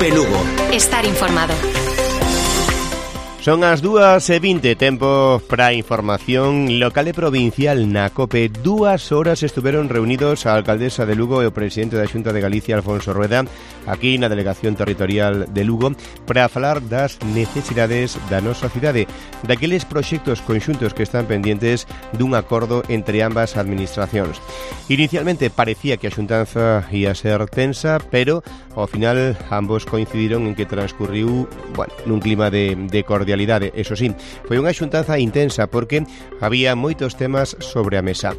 COPE Lugo. Estar informado. Son as 2:20, tempo para información local e provincial na COPE. 2 horas estuveron reunidos a alcaldesa de Lugo e o presidente da Xunta de Galicia, Alfonso Rueda, aquí na Delegación Territorial de Lugo, para falar das necesidades da nosa cidade, daqueles proxectos conxuntos que están pendientes dun acordo entre ambas administracións. Inicialmente parecía que a xuntanza ia ser tensa, pero ao final ambos coincidiron en que transcurriu, nun clima de cordialidade. Eso sí, foi unha xuntanza intensa porque había moitos temas sobre a mesa.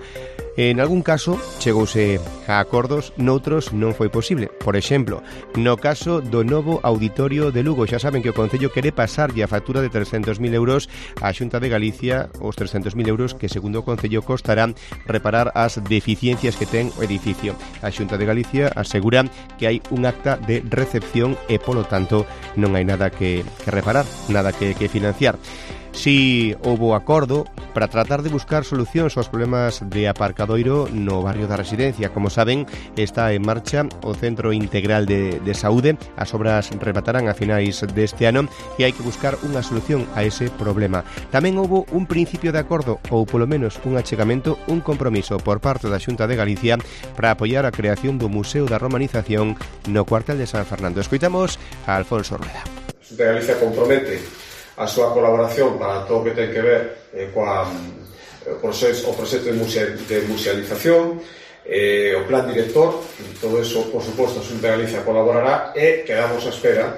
En algún caso chegouse a acordos, noutros non foi posible. Por exemplo, no caso do novo auditorio de Lugo, xa saben que o Concello quere pasarlle a factura de 300.000 euros á Xunta de Galicia, os 300.000 euros que, segundo o Concello, costarán reparar as deficiencias que ten o edificio. A Xunta de Galicia asegura que hai un acta de recepción e, polo tanto, non hai nada que reparar, nada que financiar. Si houbo acordo para tratar de buscar solucións aos problemas de aparcadoiro no barrio da Residencia. Como saben, está en marcha o Centro Integral de Saúde. As obras rematarán a finais deste ano e hai que buscar unha solución a ese problema. Tamén houbo un principio de acordo, ou polo menos un achegamento, un compromiso por parte da Xunta de Galicia para apoiar a creación do Museo da Romanización no cuartel de San Fernando. Escoitamos a Alfonso Rueda. A Xunta de Galicia compromete a súa colaboración para todo o que ten que ver o proxecto de musealización, o plan director. Todo eso, por suposto, a Xunta de Galicia colaborará e quedamos a espera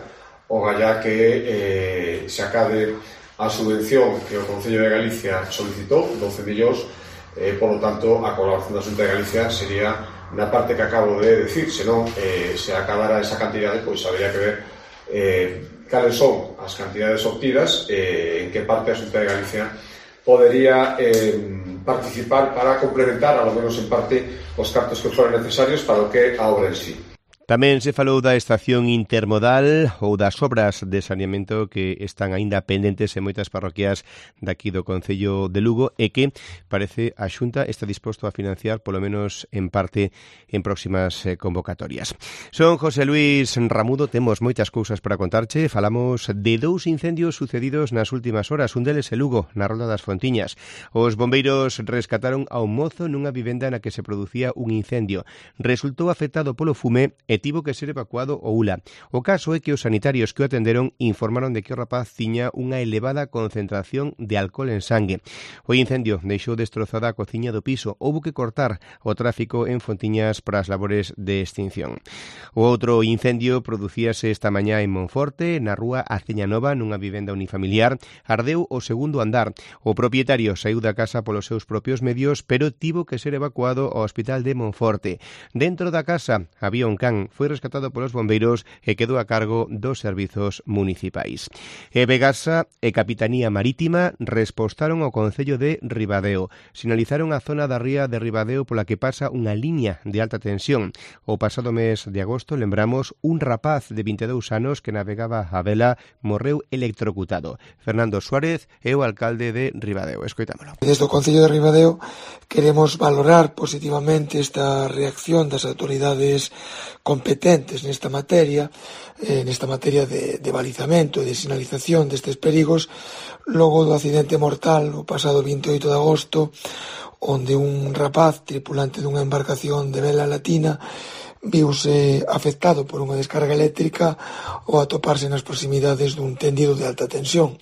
o gallá que se acabe a subvención que o Concello de Galicia solicitou, 12 millóns. Por lo tanto, a colaboración da Xunta de Galicia sería na parte que acabo de decir. Senón, se acabara esa cantidade, pois habría que ver cales son as cantidades obtidas, en que parte a Xunta de Galicia podería participar para complementar, ao menos en parte, os cartos que foran necesarios para o que a obra en sí. Tamén se falou da estación intermodal ou das obras de saneamento que están aínda pendentes en moitas parroquias daqui do Concello de Lugo e que parece a Xunta está disposto a financiar polo menos en parte en próximas convocatorias. Son José Luis Ramudo, temos moitas cousas para contarche. Falamos de 2 incendios sucedidos nas últimas horas, un deles en Lugo, na Rolda das Fontiñas. Os bombeiros rescataron a un mozo nunha vivenda na que se producía un incendio. Resultou afectado polo fume e tivo que ser evacuado o ULA. O caso é que os sanitarios que o atenderon informaron de que o rapaz tiña unha elevada concentración de alcohol en sangue. O incendio deixou destrozada a cociña do piso. Houbo que cortar o tráfico en Fontiñas para as labores de extinción. O outro incendio producíase esta mañá en Monforte, na rúa Aceña Nova, nunha vivenda unifamiliar. Ardeu o segundo andar. O propietario saíu da casa polos seus propios medios, pero tivo que ser evacuado ao hospital de Monforte. Dentro da casa había un can. Foi rescatado polos bombeiros e quedou a cargo dos servizos municipais. E Vegasa e Capitanía Marítima respostaron ao Concello de Ribadeo. Sinalizaron a zona da ría de Ribadeo pola que pasa unha liña de alta tensión. O pasado mes de agosto, lembramos, un rapaz de 22 anos que navegaba a vela morreu electrocutado. Fernando Suárez é o alcalde de Ribadeo. Escoitámolo. Desde o Concello de Ribadeo queremos valorar positivamente esta reacción das autoridades competentes nesta materia de balizamento e de sinalización destes perigos, logo do accidente mortal o pasado 28 de agosto, onde un rapaz tripulante dunha embarcación de vela latina viuse afectado por unha descarga eléctrica ao atoparse nas proximidades dun tendido de alta tensión.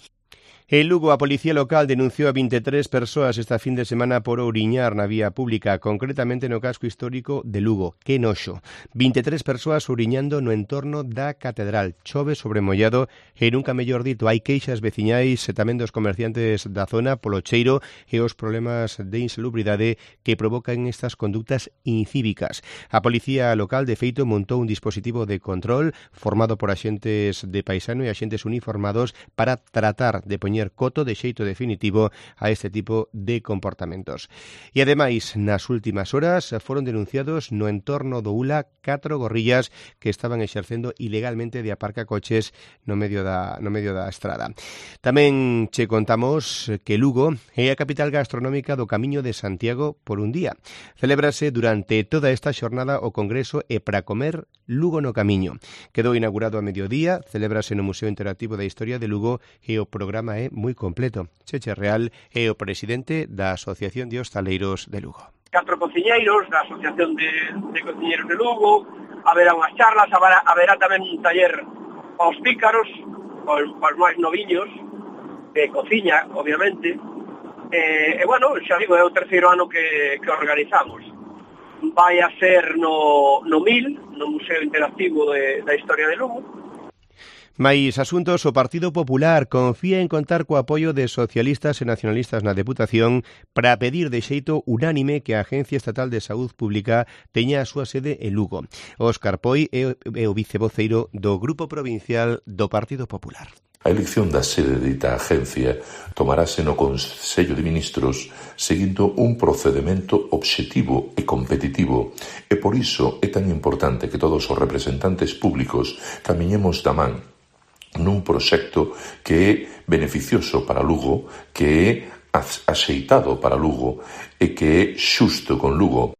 En Lugo, a Policía Local denunciou a 23 persoas esta fin de semana por ouriñar na vía pública, concretamente no casco histórico de Lugo. Que noxo. 23 persoas ouriñando no entorno da Catedral. Chove sobre mollado e nunca mellor dito. Hai queixas veciñais e tamén dos comerciantes da zona polo cheiro e os problemas de insalubridade que provocan estas conductas incívicas. A Policía Local, de feito, montou un dispositivo de control formado por axentes de paisano e axentes uniformados para tratar de poñer poñer coto de xeito definitivo a este tipo de comportamentos. E ademais, nas últimas horas foron denunciados no entorno do ULA 4 gorrillas que estaban exercendo ilegalmente de aparcacoches no medio da estrada. Tamén che contamos que Lugo é a capital gastronómica do Camiño de Santiago por un día. Celébrase durante toda esta xornada o Congreso E para comer Lugo no Camiño. Quedou inaugurado a mediodía, celébrase no Museo Interactivo da Historia de Lugo e o programa é moi completo. Cheche Real é o presidente da Asociación de Hostaleiros de Lugo. 4 cociñeiros da Asociación de Cociñeiros de Lugo, haberá unhas charlas, haberá tamén un taller aos pícaros, aos máis noviños, de cociña, obviamente. Bueno, xa digo, é o terceiro ano que organizamos. Vai a ser no MIL, no Museo Interactivo da Historia de Lugo. Mais asuntos, o Partido Popular confía en contar co apoio de socialistas e nacionalistas na Deputación para pedir de xeito unánime que a Agencia Estatal de Saúde Pública teña a súa sede en Lugo. Óscar Poi é o vicevoceiro do Grupo Provincial do Partido Popular. A elección da sede de dita agencia tomarase no Consello de Ministros seguindo un procedimento obxectivo e competitivo e por iso é tan importante que todos os representantes públicos camiñemos da man nun proxecto que é beneficioso para Lugo, que é axeitado para Lugo e que é xusto con Lugo.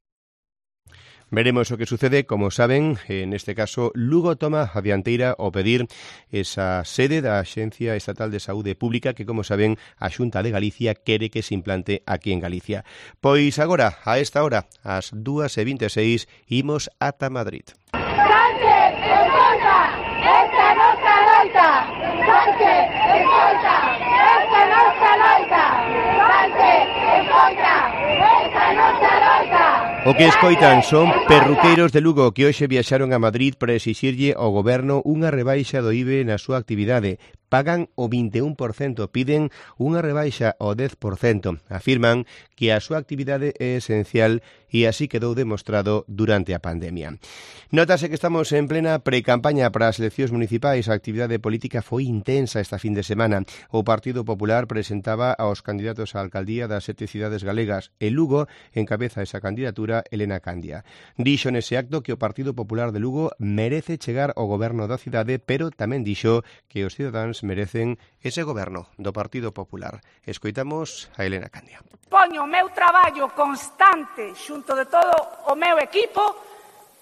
Veremos o que sucede. Como saben, en este caso, Lugo toma a dianteira ao pedir esa sede da Axencia Estatal de Saúde Pública que, como saben, a Xunta de Galicia quere que se implante aquí en Galicia. Pois agora, a esta hora, ás 2:26, imos ata Madrid. Sánchez, escolta, esta é nosa loita. Sánchez, escolta, esta é nosa loita. Sánchez, escolta, esta é nosa loita. O que escoitan son perruqueiros de Lugo que hoxe viaxaron a Madrid para exixirlle ao goberno unha rebaixa do IBE na súa actividade. Pagan o 21%, piden unha rebaixa ao 10%. Afirman que a súa actividade é esencial e así quedou demostrado durante a pandemia. Nótase que estamos en plena pre-campaña para as eleccións municipais. A actividade política foi intensa esta fin de semana. O Partido Popular presentaba aos candidatos á alcaldía das 7 cidades galegas e Lugo encabeza esa candidatura Elena Candia. Dixo nese acto que o Partido Popular de Lugo merece chegar ao goberno da cidade, pero tamén dixo que os cidadáns merecen ese goberno do Partido Popular. Escoitamos a Elena Candia. Poño o meu traballo constante xunto de todo o meu equipo,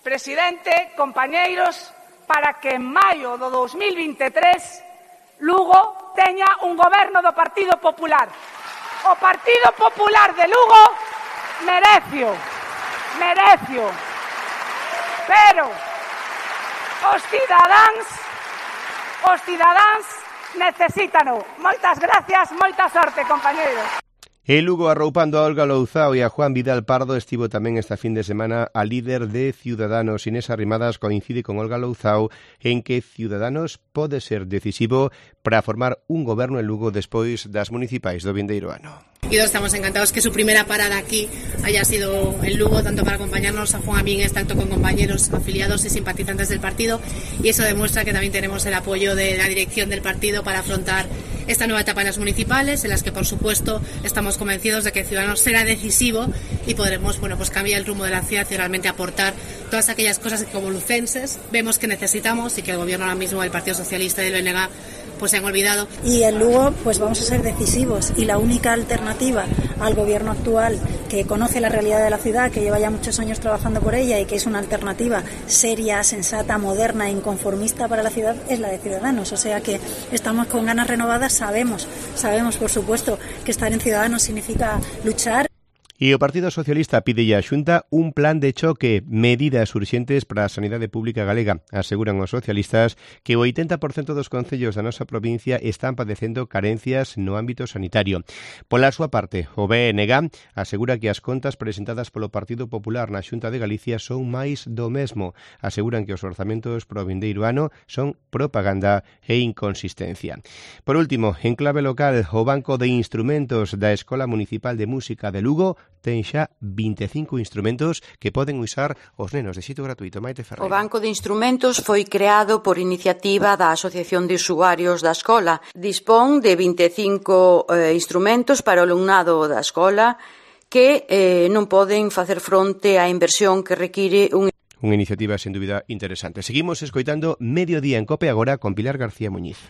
presidente, compañeiros, para que en maio do 2023 Lugo teña un goberno do Partido Popular. O Partido Popular de Lugo merecio. Pero os cidadáns necesítano. Moitas gracias, moita sorte, compañeros. E Lugo, arroupando a Olga Louzao e a Juan Vidal Pardo, estivo tamén esta fin de semana a líder de Ciudadanos. Inés Arrimadas coincide con Olga Louzao en que Ciudadanos pode ser decisivo para formar un goberno en Lugo despois das municipais do vindeiro ano. Y todos estamos encantados que su primera parada aquí haya sido en Lugo, tanto para acompañarnos a Juan Amínguez, tanto con compañeros afiliados y simpatizantes del partido, y eso demuestra que también tenemos el apoyo de la dirección del partido para afrontar esta nueva etapa en las municipales, en las que por supuesto estamos convencidos de que Ciudadanos será decisivo y podremos cambiar el rumbo de la ciudad y realmente aportar todas aquellas cosas que como lucenses vemos que necesitamos y que el gobierno ahora mismo del Partido Socialista y del BNG se han olvidado. Y en Lugo vamos a ser decisivos, y la única alternativa al gobierno actual, que conoce la realidad de la ciudad, que lleva ya muchos años trabajando por ella y que es una alternativa seria, sensata, moderna e inconformista para la ciudad, es la de Ciudadanos. O sea que estamos con ganas renovadas, sabemos por supuesto que estar en Ciudadanos significa luchar. E o Partido Socialista pide á Xunta un plan de choque, medidas urxentes para a sanidade pública galega. Aseguran os socialistas que o 80% dos concellos da nosa provincia están padecendo carencias no ámbito sanitario. Pola súa parte, o BNG asegura que as contas presentadas polo Partido Popular na Xunta de Galicia son máis do mesmo. Aseguran que os orzamentos pro vindeiro ano son propaganda e inconsistencia. Por último, en clave local, o Banco de Instrumentos da Escola Municipal de Música de Lugo ten xa 25 instrumentos que poden usar os nenos de xeito gratuito. Maite Ferreira. O Banco de Instrumentos foi creado por iniciativa da Asociación de Usuarios da Escola. Dispón de 25 instrumentos para o alumnado da escola que non poden facer fronte á inversión que require Unha iniciativa, sen dúbida, interesante. Seguimos escoitando Mediodía en COPE agora con Pilar García Muñiz.